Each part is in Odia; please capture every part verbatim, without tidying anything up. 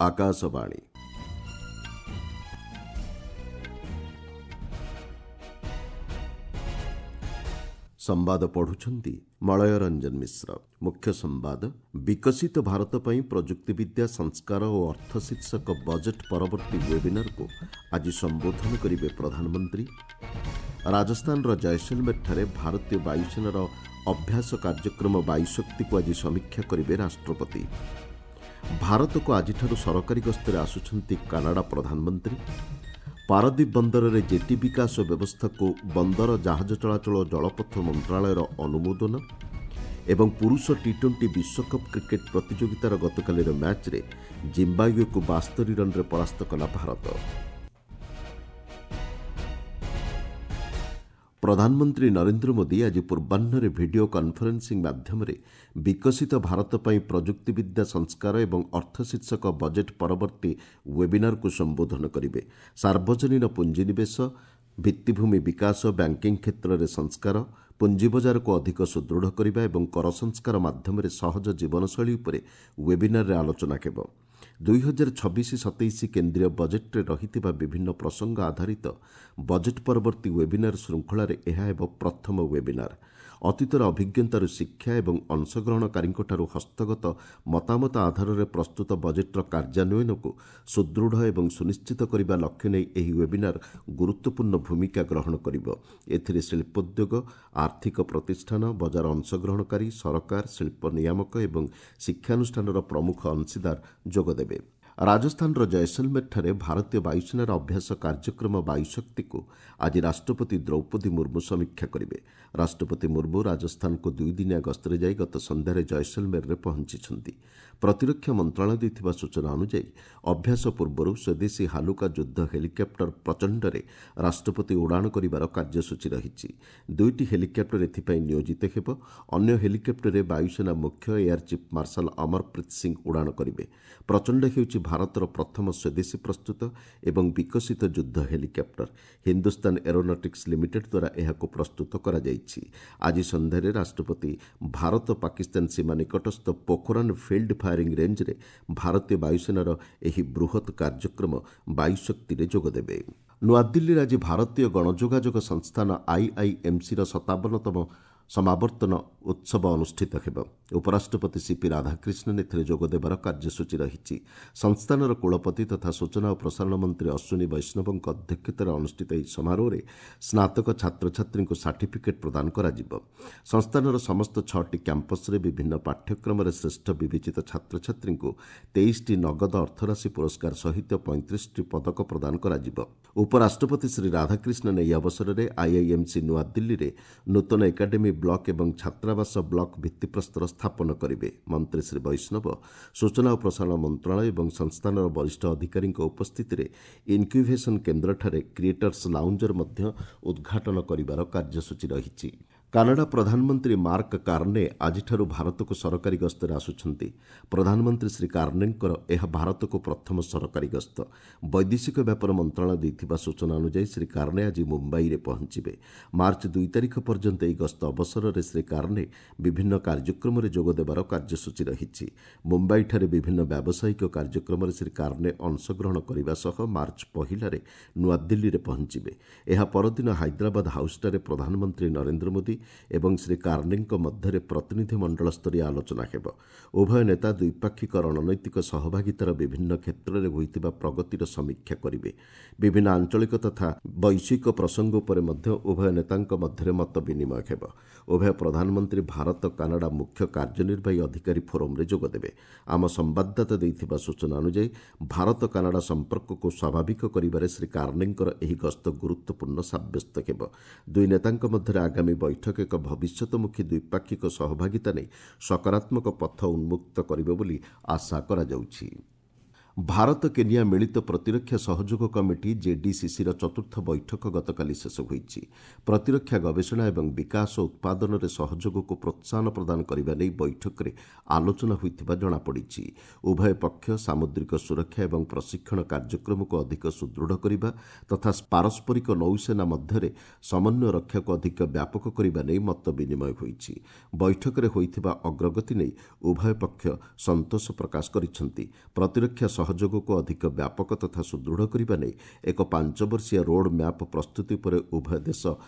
ଆକାଶବାଣୀ। ସମ୍ବାଦ ପଢୁଛନ୍ତି ମଳୟ ରଞ୍ଜନ ମିଶ୍ର। ମୁଖ୍ୟ ସମ୍ବାଦ, ବିକଶିତ ଭାରତ ପାଇଁ ପ୍ରଯୁକ୍ତିବିଦ୍ୟା, ସଂସ୍କାର ଓ ଅର୍ଥ ଶୀର୍ଷକ ବଜେଟ୍ ପରବର୍ତ୍ତୀ ୱେବିନାରକୁ ଆଜି ସମ୍ବୋଧନ କରିବେ ପ୍ରଧାନମନ୍ତ୍ରୀ। ରାଜସ୍ଥାନର ଜୟସଲମେରଠାରେ ଭାରତୀୟ ବାୟୁସେନାର ଅଭ୍ୟାସ କାର୍ଯ୍ୟକ୍ରମ ବାୟୁଶକ୍ତିକୁ ଆଜି ସମୀକ୍ଷା କରିବେ ରାଷ୍ଟ୍ରପତି। ଭାରତକୁ ଆଜିଠାରୁ ସରକାରୀ ଗସ୍ତରେ ଆସୁଛନ୍ତି କାନାଡା ପ୍ରଧାନମନ୍ତ୍ରୀ। ପାରାଦୀପ ବନ୍ଦରରେ ଜେଟି ବିକାଶ ବ୍ୟବସ୍ଥାକୁ ବନ୍ଦର, ଜାହାଜ ଚଳାଚଳ ଓ ଜଳପଥ ମନ୍ତ୍ରଣାଳୟର ଅନୁମୋଦନ। ଏବଂ ପୁରୁଷ ଟି ଟ୍ୱେଣ୍ଟି ବିଶ୍ୱକପ୍ କ୍ରିକେଟ୍ ପ୍ରତିଯୋଗିତାର ଗତକାଲିର ମ୍ୟାଚ୍ରେ ଜିମ୍ବାୱେକୁ ବାସ୍ତରି ରନ୍ରେ ପରାସ୍ତ କଲା ଭାରତ। ପ୍ରଧାନମନ୍ତ୍ରୀ ନରେନ୍ଦ୍ର ମୋଦି ଆଜି ପୂର୍ବାହ୍ନରେ ଭିଡିଓ କନ୍ଫରେନ୍ସିଂ ମାଧ୍ୟମରେ ବିକଶିତ ଭାରତ ପାଇଁ ପ୍ରଯୁକ୍ତିବିଦ୍ୟା, ସଂସ୍କାର ଏବଂ ଅର୍ଥ ଶୀର୍ଷକ ବଜେଟ୍ ପରବର୍ତ୍ତୀ ୱେବିନାରକୁ ସମ୍ବୋଧନ କରିବେ। ସାର୍ବଜନୀନ ପୁଞ୍ଜିନିବେଶ, ଭିତ୍ତିଭୂମି ବିକାଶ, ବ୍ୟାଙ୍କିଂ କ୍ଷେତ୍ରରେ ସଂସ୍କାର, ପୁଞ୍ଜିବଜାରକୁ ଅଧିକ ସୁଦୃଢ଼ କରିବା ଏବଂ କର ସଂସ୍କାର ମାଧ୍ୟମରେ ସହଜ ଜୀବନଶୈଳୀ ଉପରେ ୱେବିନାରରେ ଆଲୋଚନା ହେବ। ଦୁଇ ହଜାର ଛବିଶ ସତେଇଶ କେନ୍ଦ୍ରୀୟ ବଜେଟ୍ରେ ରହିଥିବା ବିଭିନ୍ନ ପ୍ରସଙ୍ଗ ଆଧାରିତ ବଜେଟ୍ ପରବର୍ତ୍ତୀ ୱେବିନାର ଶୃଙ୍ଖଳାରେ ଏହା ହେବ ପ୍ରଥମ ୱେବିନାର। ଅତୀତର ଅଭିଜ୍ଞତାରୁ ଶିକ୍ଷା ଏବଂ ଅଂଶଗ୍ରହଣକାରୀଙ୍କଠାରୁ ହସ୍ତଗତ ମତାମତ ଆଧାରରେ ପ୍ରସ୍ତୁତ ବଜେଟ୍ର କାର୍ଯ୍ୟାନ୍ୱୟନକୁ ସୁଦୃଢ଼ ଏବଂ ସୁନିଶ୍ଚିତ କରିବା ଲକ୍ଷ୍ୟ ନେଇ ଏହି ୱେବିନାର ଗୁରୁତ୍ୱପୂର୍ଣ୍ଣ ଭୂମିକା ଗ୍ରହଣ କରିବ। ଏଥିରେ ଶିଳ୍ପୋଦ୍ୟୋଗ, ଆର୍ଥିକ ପ୍ରତିଷ୍ଠାନ, ବଜାର ଅଂଶଗ୍ରହଣକାରୀ, ସରକାର, ଶିଳ୍ପ ନିୟାମକ ଏବଂ ଶିକ୍ଷାନୁଷ୍ଠାନର ପ୍ରମୁଖ ଅଂଶୀଦାର ଯୋଗଦେବେ। ରାଜସ୍ଥାନର ଜୟସଲମେରଠାରେ ଭାରତୀୟ ବାୟୁସେନାର ଅଭ୍ୟାସ କାର୍ଯ୍ୟକ୍ରମ ବାୟୁଶକ୍ତିକୁ ଆଜି ରାଷ୍ଟ୍ରପତି ଦ୍ରୌପଦୀ ମୁର୍ମୁ ସମୀକ୍ଷା କରିବେ। ରାଷ୍ଟ୍ରପତି ମୁର୍ମୁ ରାଜସ୍ଥାନକୁ ଦୁଇଦିନିଆ ଗସ୍ତରେ ଯାଇ ଗତ ସନ୍ଧ୍ୟାରେ ଜୟସଲମେରରେ ପହଞ୍ଚିଛନ୍ତି। ପ୍ରତିରକ୍ଷା ମନ୍ତ୍ରଣାଳୟ ଦେଇଥିବା ସୂଚନା ଅନୁଯାୟୀ ଅଭ୍ୟାସ ପୂର୍ବରୁ ସ୍ୱଦେଶୀ ହାଲୁକା ଯୁଦ୍ଧ ହେଲିକପ୍ଟର ପ୍ରଚଣ୍ଡରେ ରାଷ୍ଟ୍ରପତି ଉଡ଼ାଣ କରିବାର କାର୍ଯ୍ୟସୂଚୀ ରହିଛି। ଦୁଇଟି ହେଲିକପ୍ଟର ଏଥିପାଇଁ ନିୟୋଜିତ ହେବ। ଅନ୍ୟ ହେଲିକପ୍ଟରରେ ବାୟୁସେନା ମୁଖ୍ୟ air chief marshal Amarpreet Singh ଉଡ଼ାଣ କରିବେ। ପ୍ରଚଣ୍ଡ ହେଉଛି ଭାରତର ପ୍ରଥମ ସ୍ୱଦେଶୀ ପ୍ରସ୍ତୁତ ଏବଂ ବିକଶିତ ଯୁଦ୍ଧ ହେଲିକପ୍ଟର। ହିନ୍ଦୁସ୍ତାନ ଏରୋନଟିକ୍ସ ଲିମିଟେଡ୍ ଦ୍ୱାରା ଏହାକୁ ପ୍ରସ୍ତୁତ କରାଯାଇଛି। ଆଜି ସନ୍ଧ୍ୟାରେ ରାଷ୍ଟ୍ରପତି ଭାରତ ପାକିସ୍ତାନ ସୀମା ନିକଟସ୍ଥ ପୋଖରାନ ଫିଲ୍ଡ ଫାୟାରିଂ ରେଞ୍ଜରେ ଭାରତୀୟ ବାୟୁସେନାର ଏହି ବୃହତ୍ କାର୍ଯ୍ୟକ୍ରମ ବାୟୁଶକ୍ତିରେ ଯୋଗଦେବେ। ନୂଆଦିଲ୍ଲୀରେ ଆଜି ଭାରତୀୟ ଗଣଯୋଗାଯୋଗ ସଂସ୍ଥାନ ଆଇଆଇଏମ୍ସିର ସତାବନତମ ସମାବର୍ତ୍ତନ ଉତ୍ସବ ଅନୁଷ୍ଠିତ ହେବ। ଉପରାଷ୍ଟ୍ରପତି ସିପି ରାଧାକ୍ରିଷ୍ଣନ୍ ଏଥିରେ ଯୋଗଦେବାର କାର୍ଯ୍ୟସୂଚୀ ରହିଛି। ସଂସ୍ଥାନର କୁଳପତି ତଥା ସୂଚନା ଓ ପ୍ରସାରଣ ମନ୍ତ୍ରୀ ଅଶ୍ୱିନୀ ବୈଷ୍ଣବଙ୍କ ଅଧ୍ୟକ୍ଷତାରେ ଅନୁଷ୍ଠିତ ଏହି ସମାରୋହରେ ସ୍ନାତକ ଛାତ୍ରଛାତ୍ରୀଙ୍କୁ ସାର୍ଟିଫିକେଟ୍ ପ୍ରଦାନ କରାଯିବ। ସଂସ୍ଥାନର ସମସ୍ତ ଛଅଟି କ୍ୟାମ୍ପସରେ ବିଭିନ୍ନ ପାଠ୍ୟକ୍ରମରେ ଶ୍ରେଷ୍ଠ ବିବେଚିତ ଛାତ୍ରଛାତ୍ରୀଙ୍କୁ ତେଇଶଟି ନଗଦ ଅର୍ଥରାଶି ପୁରସ୍କାର ସହିତ ପଇଁତିରିଶଟି ପଦକ ପ୍ରଦାନ କରାଯିବ। ଉପରାଷ୍ଟ୍ରପତି ଶ୍ରୀ ରାଧାକ୍ରିଷ୍ଣନ୍ ଏହି ଅବସରରେ ଆଇଆଇଏମ୍ସି ନୂଆଦିଲ୍ଲୀରେ ନୂତନ ଏକାଡେମୀ ବ୍ଲକ୍ ଏବଂ ଛାତ୍ରାବାସ ବ୍ଲକ୍ ଭିତ୍ତିପ୍ରସ୍ତର ସ୍ଥାପନ କରିବେ। ମନ୍ତ୍ରୀ ଶ୍ରୀ ବୈଷ୍ଣବ ସୂଚନା ଓ ପ୍ରସାରଣ ମନ୍ତ୍ରଣାଳୟ ଏବଂ ସଂସ୍ଥାନର ବରିଷ୍ଠ ଅଧିକାରୀଙ୍କ ଉପସ୍ଥିତିରେ ଇନ୍କ୍ୟୁଭେସନ୍ କେନ୍ଦ୍ରଠାରେ କ୍ରିଏଟର୍ସ ଲାଉଞ୍ଜର ମଧ୍ୟ ଉଦ୍ଘାଟନ କରିବାର କାର୍ଯ୍ୟସୂଚୀ ରହିଛି। କାନାଡା ପ୍ରଧାନମନ୍ତ୍ରୀ ମାର୍କ କାର୍ନେ ଆଜିଠାରୁ ଭାରତକୁ ସରକାରୀ ଗସ୍ତରେ ଆସୁଛନ୍ତି। ପ୍ରଧାନମନ୍ତ୍ରୀ ଶ୍ରୀ କାର୍ନେଙ୍କର ଏହା ଭାରତକୁ ପ୍ରଥମ ସରକାରୀ ଗସ୍ତ। ବୈଦେଶିକ ବ୍ୟାପାର ମନ୍ତ୍ରଣାଳୟ ଦେଇଥିବା ସୂଚନା ଅନୁଯାୟୀ ଶ୍ରୀ କାର୍ନେ ଆଜି ମୁମ୍ବାଇରେ ପହଞ୍ଚିବେ। ମାର୍ଚ୍ଚ ଦୁଇ ତାରିଖ ପର୍ଯ୍ୟନ୍ତ ଏହି ଗସ୍ତ ଅବସରରେ ଶ୍ରୀ କାର୍ନେ ବିଭିନ୍ନ କାର୍ଯ୍ୟକ୍ରମରେ ଯୋଗଦେବାର କାର୍ଯ୍ୟସୂଚୀ ରହିଛି। ମୁମ୍ବାଇଠାରେ ବିଭିନ୍ନ ବ୍ୟାବସାୟିକ କାର୍ଯ୍ୟକ୍ରମରେ ଶ୍ରୀ କାର୍ନେ ଅଂଶଗ୍ରହଣ କରିବା ସହ ମାର୍ଚ୍ଚ ପହିଲାରେ ନୂଆଦିଲ୍ଲୀରେ ପହଞ୍ଚିବେ। ଏହା ପରଦିନ ହାଇଦ୍ରାବାଦ ହାଉସ୍ଠାରେ ପ୍ରଧାନମନ୍ତ୍ରୀ ନରେନ୍ଦ୍ର ମୋଦି ଏବଂ ଶ୍ରୀ କାର୍ନେଙ୍କ ମଧ୍ୟରେ ପ୍ରତିନିଧି ମଣ୍ଡଳସ୍ତରୀୟ ଆଲୋଚନା ହେବ। ଉଭୟ ନେତା ଦ୍ୱିପାକ୍ଷିକ ରଣନୈତିକ ସହଭାଗିତାର ବିଭିନ୍ନ କ୍ଷେତ୍ରରେ ହୋଇଥିବା ପ୍ରଗତିର ସମୀକ୍ଷା କରିବେ। ବିଭିନ୍ନ ଆଞ୍ଚଳିକ ତଥା ବୈଶ୍ୱିକ ପ୍ରସଙ୍ଗ ଉପରେ ମଧ୍ୟ ଉଭୟ ନେତାଙ୍କ ମଧ୍ୟରେ ମତ ବିନିମୟ ହେବ। ଉଭୟ ପ୍ରଧାନମନ୍ତ୍ରୀ ଭାରତ କାନାଡା ମୁଖ୍ୟ କାର୍ଯ୍ୟନିର୍ବାହୀ ଅଧିକାରୀ ଫୋରମ୍ରେ ଯୋଗଦେବେ। ଆମ ସମ୍ବାଦଦାତା ଦେଇଥିବା ସୂଚନା ଅନୁଯାୟୀ ଭାରତ କାନାଡା ସମ୍ପର୍କକୁ ସ୍ୱାଭାବିକ କରିବାରେ ଶ୍ରୀ କାର୍ନେଙ୍କର ଏହି ଗସ୍ତ ଗୁରୁତ୍ୱପୂର୍ଣ୍ଣ ସାବ୍ୟସ୍ତ ହେବ। ଦୁଇ ନେତାଙ୍କ ମଧ୍ୟରେ ଆଗାମୀ ବୈଠକ ଏକ ଭବିଷ୍ୟତମୁଖୀ ଦ୍ୱିପାକ୍ଷିକ ସହଭାଗିତା ନେଇ ସକାରାତ୍ମକ ପଥ ଉନ୍ମୁକ୍ତ କରିବ ବୋଲି ଆଶା କରାଯାଉଛି। ଭାରତ କେନିଆ ମିଳିତ ପ୍ରତିରକ୍ଷା ସହଯୋଗ କମିଟି ଜେଡିସିସିର ଚତୁର୍ଥ ବୈଠକ ଗତକାଲି ଶେଷ ହୋଇଛି। ପ୍ରତିରକ୍ଷା ଗବେଷଣା ଏବଂ ବିକାଶ ଉତ୍ପାଦନରେ ସହଯୋଗକୁ ପ୍ରୋତ୍ସାହନ ପ୍ରଦାନ କରିବା ନେଇ ବୈଠକରେ ଆଲୋଚନା ହୋଇଥିବା ଜଣାପଡ଼ିଛି। ଉଭୟ ପକ୍ଷ ସାମୁଦ୍ରିକ ସୁରକ୍ଷା ଏବଂ ପ୍ରଶିକ୍ଷଣ କାର୍ଯ୍ୟକ୍ରମକୁ ଅଧିକ ସୁଦୃଢ଼ କରିବା ତଥା ପାରସ୍ପରିକ ନୌସେନା ମଧ୍ୟରେ ସମନ୍ୱୟ ରକ୍ଷାକୁ ଅଧିକ ବ୍ୟାପକ କରିବା ନେଇ ମତ ବିନିମୟ ହୋଇଛି। ବୈଠକରେ ହୋଇଥିବା ଅଗ୍ରଗତି ନେଇ ଉଭୟ ପକ୍ଷ ସନ୍ତୋଷ ପ୍ରକାଶ କରିଛନ୍ତି। ପ୍ରତିରକ୍ଷା ସହଯୋଗକୁ ଅଧିକ ବ୍ୟାପକ ତଥା ସୁଦୃଢ଼ କରିବା ନେଇ ଏକ ପାଞ୍ଚ ବର୍ଷିଆ ରୋଡ୍ ମ୍ୟାପ୍ ପ୍ରସ୍ତୁତି ଉପରେ ଉଭୟ ଦେଶ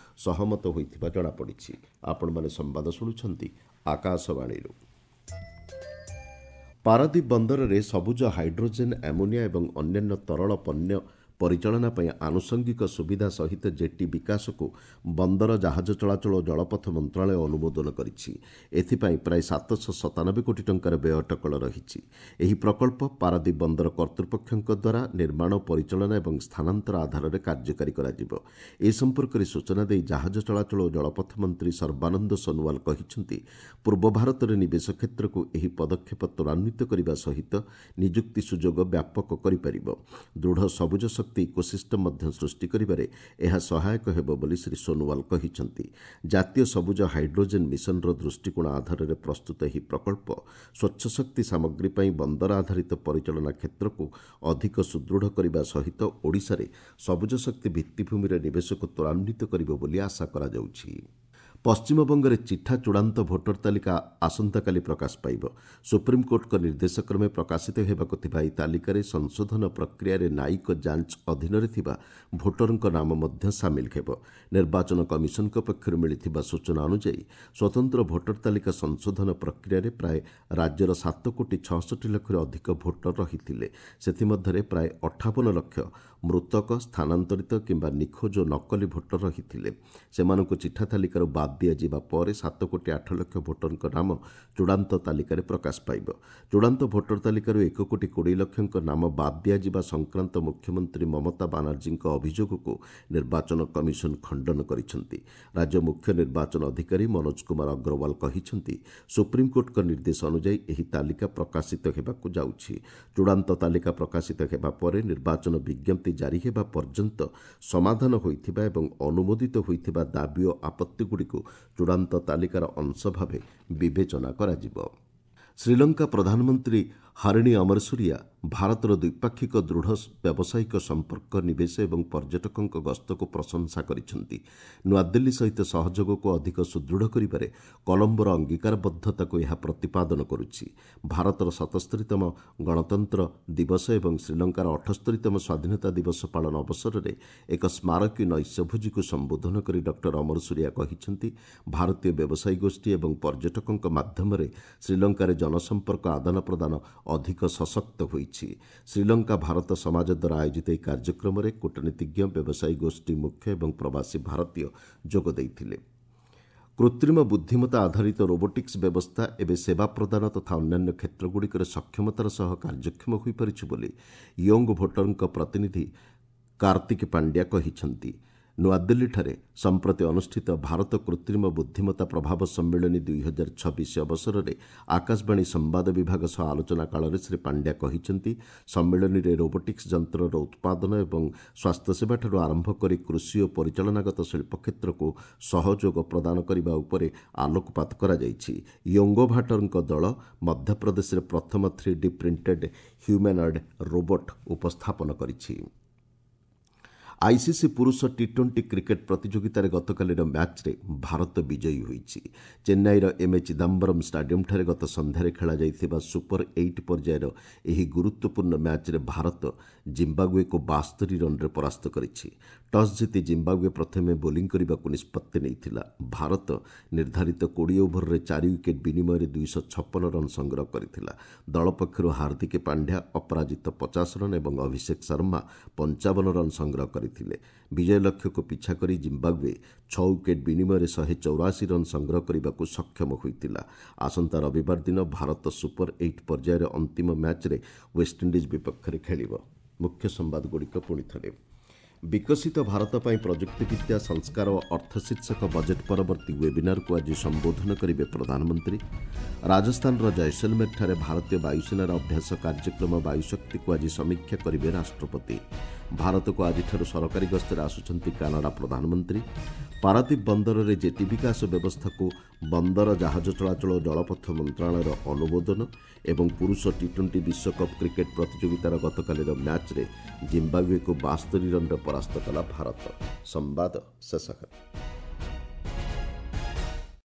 ସହମତ ହୋଇଥିବା ଜଣାପଡ଼ିଛି। ଆପଣମାନେ ସମ୍ବାଦ ଶୁଣୁଛନ୍ତି ଆକାଶବାଣୀରୁ। ପାରାଦୀପ ବନ୍ଦରରେ ସବୁଜ ହାଇଡ୍ରୋଜେନ୍, ଆମୋନିଆ ଏବଂ ଅନ୍ୟାନ୍ୟ ତରଳ ପଣ୍ୟ ପରିଚାଳନା ପାଇଁ ଆନୁଷଙ୍ଗିକ ସୁବିଧା ସହିତ ଜେଟି ବିକାଶକୁ ବନ୍ଦର, ଜାହାଜ ଚଳାଚଳ ଓ ଜଳପଥ ମନ୍ତ୍ରଣାଳୟ ଅନୁମୋଦନ କରିଛି। ଏଥିପାଇଁ ପ୍ରାୟ ସାତଶହ ସତାନବେ କୋଟି ଟଙ୍କାର ବ୍ୟୟ ଅଟକଳ ରହିଛି। ଏହି ପ୍ରକଳ୍ପ ପାରାଦୀପ ବନ୍ଦର କର୍ତ୍ତୃପକ୍ଷଙ୍କ ଦ୍ୱାରା ନିର୍ମାଣ, ପରିଚାଳନା ଏବଂ ସ୍ଥାନାନ୍ତର ଆଧାରରେ କାର୍ଯ୍ୟକାରୀ କରାଯିବ। ଏ ସମ୍ପର୍କରେ ସୂଚନା ଦେଇ ଜାହାଜ ଚଳାଚଳ ଓ ଜଳପଥ ମନ୍ତ୍ରୀ ସର୍ବାନନ୍ଦ ସୋନୋୱାଲ କହିଛନ୍ତି, ପୂର୍ବ ଭାରତରେ ନିବେଶ କ୍ଷେତ୍ରକୁ ଏହି ପଦକ୍ଷେପ ତ୍ୱରାନ୍ୱିତ କରିବା ସହିତ ନିଯୁକ୍ତି ସୁଯୋଗ ବ୍ୟାପକ କରିପାରିବ। ଦୃଢ଼ ସବୁଜ ଶକ୍ତି ଇକୋସିଷ୍ଟମ୍ ମଧ୍ୟ ସୃଷ୍ଟି କରିବାରେ ଏହା ସହାୟକ ହେବ ବୋଲି ଶ୍ରୀ ସୋନୋୱାଲ କହିଛନ୍ତି। ଜାତୀୟ ସବୁଜ ହାଇଡ୍ରୋଜେନ୍ ମିଶନର ଦୃଷ୍ଟିକୋଣ ଆଧାରରେ ପ୍ରସ୍ତୁତ ଏହି ପ୍ରକଳ୍ପ ସ୍ୱଚ୍ଛ ଶକ୍ତି ସାମଗ୍ରୀ ପାଇଁ ବନ୍ଦର ଆଧାରିତ ପରିଚାଳନା କ୍ଷେତ୍ରକୁ ଅଧିକ ସୁଦୃଢ଼ କରିବା ସହିତ ଓଡ଼ିଶାରେ ସବୁଜ ଶକ୍ତି ଭିତ୍ତିଭୂମିରେ ନିବେଶକୁ ତ୍ୱରାନ୍ୱିତ କରିବ ବୋଲି ଆଶା କରାଯାଉଛି। ପଶ୍ଚିମବଙ୍ଗରେ ଚିଠା ଚୂଡ଼ାନ୍ତ ଭୋଟର ତାଲିକା ଆସନ୍ତାକାଲି ପ୍ରକାଶ ପାଇବ। ସୁପ୍ରିମକୋର୍ଟଙ୍କ ନିର୍ଦ୍ଦେଶକ୍ରମେ ପ୍ରକାଶିତ ହେବାକୁ ଥିବା ଏହି ତାଲିକାରେ ସଂଶୋଧନ ପ୍ରକ୍ରିୟାରେ ନ୍ୟାୟିକ ଯାଞ୍ଚ ଅଧୀନରେ ଥିବା ଭୋଟରଙ୍କ ନାମ ମଧ୍ୟ ସାମିଲ ହେବ। ନିର୍ବାଚନ କମିଶନଙ୍କ ପକ୍ଷରୁ ମିଳିଥିବା ସୂଚନା ଅନୁଯାୟୀ ସ୍ୱତନ୍ତ୍ର ଭୋଟର ତାଲିକା ସଂଶୋଧନ ପ୍ରକ୍ରିୟାରେ ପ୍ରାୟ ରାଜ୍ୟର ସାତ କୋଟି ଛଅଷଠି ଲକ୍ଷରୁ ଅଧିକ ଭୋଟର ରହିଥିଲେ। ସେଥିମଧ୍ୟରେ ପ୍ରାୟ ଅଠାବନ ଲକ୍ଷ ମୃତକ, ସ୍ଥାନାନ୍ତରିତ କିମ୍ବା ନିଖୋଜ ଓ ନକଲି ଭୋଟର ରହିଥିଲେ। ସେମାନଙ୍କୁ ଚିଠା ତାଲିକାରୁ ବାଦ ଦିଆଯିବା ପରେ ସାତ କୋଟି ଆଠ ଲକ୍ଷ ଭୋଟରଙ୍କ ନାମ ଚୂଡ଼ାନ୍ତ ତାଲିକାରେ ପ୍ରକାଶ ପାଇବ। ଚୂଡ଼ାନ୍ତ ଭୋଟର ତାଲିକାରୁ ଏକ କୋଟି କୋଡ଼ିଏ ଲକ୍ଷଙ୍କ ନାମ ବାଦ ଦିଆଯିବା ସଂକ୍ରାନ୍ତ ମୁଖ୍ୟମନ୍ତ୍ରୀ ମମତା ବାନାର୍ଜୀଙ୍କ ଅଭିଯୋଗକୁ ନିର୍ବାଚନ କମିଶନ ଖଣ୍ଡନ କରିଛନ୍ତି। ରାଜ୍ୟ ମୁଖ୍ୟ ନିର୍ବାଚନ ଅଧିକାରୀ ମନୋଜ କୁମାର ଅଗ୍ରୱାଲ କହିଛନ୍ତି, ସୁପ୍ରିମକୋର୍ଟଙ୍କ ନିର୍ଦ୍ଦେଶ ଅନୁଯାୟୀ ଏହି ତାଲିକା ପ୍ରକାଶିତ ହେବାକୁ ଯାଉଛି। ଚୂଡ଼ାନ୍ତ ତାଲିକା ପ୍ରକାଶିତ ହେବା ପରେ ନିର୍ବାଚନ ବିଜ୍ଞପ୍ତି ଜାରି ହେବା ପର୍ଯ୍ୟନ୍ତ ସମାଧାନ ହୋଇଥିବା ଏବଂ ଅନୁମୋଦିତ ହୋଇଥିବା ଦାବି ଓ ଆପତ୍ତିଗୁଡ଼ିକୁ ଚୂଡ଼ାନ୍ତ ତାଲିକାର ଅଂଶ ଭାବେ ବିବେଚନା କରାଯିବ। ଶ୍ରୀଲଙ୍କା ପ୍ରଧାନମନ୍ତ୍ରୀ ହରିଣୀ ଅମରସୂରିଆ ଭାରତର ଦ୍ୱିପାକ୍ଷିକ ଦୃଢ଼ ବ୍ୟାବସାୟିକ ସମ୍ପର୍କ, ନିବେଶ ଏବଂ ପର୍ଯ୍ୟଟକଙ୍କ ଗସ୍ତକୁ ପ୍ରଶଂସା କରିଛନ୍ତି। ନୂଆଦିଲ୍ଲୀ ସହିତ ସହଯୋଗକୁ ଅଧିକ ସୁଦୃଢ଼ କରିବାରେ କଲମ୍ବୋର ଅଙ୍ଗୀକାରବଦ୍ଧତାକୁ ଏହା ପ୍ରତିପାଦନ କରୁଛି। ଭାରତର ସତସ୍ତରୀତମ ଗଣତନ୍ତ୍ର ଦିବସ ଏବଂ ଶ୍ରୀଲଙ୍କାର ଅଠସ୍ତରୀତମ ସ୍ୱାଧୀନତା ଦିବସ ପାଳନ ଅବସରରେ ଏକ ସ୍ମାରକୀ ନୈଶଭୋଜିକୁ ସମ୍ବୋଧନ କରି ଡକ୍ଟର ଅମରସୂରିଆ କହିଛନ୍ତି, ଭାରତୀୟ ବ୍ୟବସାୟୀ ଗୋଷ୍ଠୀ ଏବଂ ପର୍ଯ୍ୟଟକଙ୍କ ମାଧ୍ୟମରେ ଶ୍ରୀଲଙ୍କାରେ ଜନସମ୍ପର୍କ ଆଦାନ ପ୍ରଦାନ ଅଧିକ ସଶକ୍ତ ହୋଇଛି। ଶ୍ରୀଲଙ୍କା ଭାରତ ସମାଜ ଦ୍ୱାରା ଆୟୋଜିତ ଏହି କାର୍ଯ୍ୟକ୍ରମରେ କୂଟନୀତିଜ୍ଞ, ବ୍ୟବସାୟୀ ଗୋଷ୍ଠୀ ମୁଖ୍ୟ ଏବଂ ପ୍ରବାସୀ ଭାରତୀୟ ଯୋଗ ଦେଇଥିଲେ। କୃତ୍ରିମ ବୁଦ୍ଧିମତ୍ତା ଆଧାରିତ ରୋବୋଟିକ୍ସ ବ୍ୟବସ୍ଥା ଏବେ ସେବା ପ୍ରଦାନ ତଥା ଅନ୍ୟାନ୍ୟ କ୍ଷେତ୍ରଗୁଡ଼ିକରେ ସକ୍ଷମତାର ସହ କାର୍ଯ୍ୟକ୍ଷମ ହୋଇପାରିଛି ବୋଲି ୟଙ୍ଗ ଭୋଟରଙ୍କ ପ୍ରତିନିଧି କାର୍ତ୍ତିକ ପାଣ୍ଡ୍ୟା କହିଛନ୍ତି। ନୂଆଦିଲ୍ଲୀଠାରେ ସମ୍ପ୍ରତି ଅନୁଷ୍ଠିତ ଭାରତ କୃତ୍ରିମ ବୁଦ୍ଧିମତ୍ତା ପ୍ରଭାବ ସମ୍ମିଳନୀ ଦୁଇ ହଜାର ଛବିଶ ଅବସରରେ ଆକାଶବାଣୀ ସମ୍ବାଦ ବିଭାଗ ସହ ଆଲୋଚନା କାଳରେ ଶ୍ରୀ ପାଣ୍ଡ୍ୟା କହିଛନ୍ତି, ସମ୍ମିଳନୀରେ ରୋବୋଟିକ୍ସ ଯନ୍ତ୍ରର ଉତ୍ପାଦନ ଏବଂ ସ୍ୱାସ୍ଥ୍ୟସେବାଠାରୁ ଆରମ୍ଭ କରି କୃଷି ଓ ପରିଚାଳନାଗତ ଶିଳ୍ପ କ୍ଷେତ୍ରକୁ ସହଯୋଗ ପ୍ରଦାନ କରିବା ଉପରେ ଆଲୋକପାତ କରାଯାଇଛି। ୟୋଙ୍ଗୋଭାଟରଙ୍କ ଦଳ ମଧ୍ୟପ୍ରଦେଶରେ ପ୍ରଥମ three D printed humanoid robot ଉପସ୍ଥାପନ କରିଛି। ଆଇସିସି ପୁରୁଷ ଟି ଟ୍ୱେଣ୍ଟି କ୍ରିକେଟ୍ ପ୍ରତିଯୋଗିତାରେ ଗତକାଲିର ମ୍ୟାଚ୍ରେ ଭାରତ ବିଜୟୀ ହୋଇଛି। ଚେନ୍ନାଇର ଏମ୍ ଏ ଚିଦାମ୍ବରମ୍ ଷ୍ଟାଡିୟମ୍ଠାରେ ଗତ ସନ୍ଧ୍ୟାରେ ଖେଳାଯାଇଥିବା ସୁପର ଏଇଟ୍ ପର୍ଯ୍ୟାୟର ଏହି ଗୁରୁତ୍ୱପୂର୍ଣ୍ଣ ମ୍ୟାଚ୍ରେ ଭାରତ ଜିମ୍ବାବୁଏକୁ ବାସ୍ତରି ରନ୍ରେ ପରାସ୍ତ କରିଛି। ଟସ୍ ଜିତି ଜିମ୍ବାବୁଏ ପ୍ରଥମେ ବୋଲିଂ କରିବାକୁ ନିଷ୍ପତ୍ତି ନେଇଥିଲା। ଭାରତ ନିର୍ଦ୍ଧାରିତ କୋଡ଼ିଏ ଓଭରରେ ଚାରି ୱିକେଟ୍ ବିନିମୟରେ ଦୁଇଶହ ଛପନ ରନ୍ ସଂଗ୍ରହ କରିଥିଲା। ଦଳ ପକ୍ଷରୁ ହାର୍ଦ୍ଦିକ ପାଣ୍ଡ୍ୟା ଅପରାଜିତ ପଚାଶ ରନ୍ ଏବଂ ଅଭିଷେକ ଶର୍ମା ପଞ୍ଚାବନ ରନ୍ ସଂଗ୍ରହ କରିଥିଲେ। ବିଜୟ ଲକ୍ଷ୍ୟକୁ ପିଛା କରି ଜିମ୍ବାବୁଏ ଛଅ ୱିକେଟ୍ ବିନିମୟରେ ଶହେ ଚଉରାଅଶୀ ରନ୍ ସଂଗ୍ରହ କରିବାକୁ ସକ୍ଷମ ହୋଇଥିଲା। ଆସନ୍ତା ରବିବାର ଦିନ ଭାରତ ସୁପର ଏଇଟ୍ ପର୍ଯ୍ୟାୟର ଅନ୍ତିମ ମ୍ୟାଚ୍ରେ ୱେଷ୍ଟଇଣ୍ଡିଜ୍ ବିପକ୍ଷରେ ଖେଳିବ। ମୁଖ୍ୟ ସମ୍ବାଦଗୁଡ଼ିକ ପୁଣି ଥରେ। ବିକଶିତ ଭାରତ ପାଇଁ ପ୍ରଯୁକ୍ତିବିଦ୍ୟା, ସଂସ୍କାର ଓ ଅର୍ଥ ଶୀର୍ଷକ ବଜେଟ୍ ପରବର୍ତ୍ତୀ ୱେବିନାରକୁ ଆଜି ସମ୍ବୋଧନ କରିବେ ପ୍ରଧାନମନ୍ତ୍ରୀ। ରାଜସ୍ଥାନର ଜୟସଲମେରଠାରେ ଭାରତୀୟ ବାୟୁସେନାର ଅଭ୍ୟାସ କାର୍ଯ୍ୟକ୍ରମ ବାୟୁଶକ୍ତିକୁ ଆଜି ସମୀକ୍ଷା କରିବେ ରାଷ୍ଟ୍ରପତି। ଭାରତକୁ ଆଜିଠାରୁ ସରକାରୀ ଗସ୍ତରେ ଆସୁଛନ୍ତି କାନାଡା ପ୍ରଧାନମନ୍ତ୍ରୀ। ପାରାଦୀପ ବନ୍ଦରରେ ଜେଟି ବିକାଶ ବ୍ୟବସ୍ଥାକୁ ବନ୍ଦର, ଜାହାଜ ଚଳାଚଳ ଓ ଜଳପଥ ମନ୍ତ୍ରଣାଳୟର ଅନୁମୋଦନ ଏବଂ ପୁରୁଷ ଟି ଟ୍ୱେଣ୍ଟି ବିଶ୍ୱକପ୍ କ୍ରିକେଟ୍ ପ୍ରତିଯୋଗିତାର ଗତକାଲିର ମ୍ୟାଚ୍ରେ ଜିମ୍ବାବୁଏକୁ ବାସ୍ତରି ରନ୍ରେ ପରାସ୍ତ କଲା ଭାରତ। ସମ୍ବାଦ ଶେଷ ହେଲା।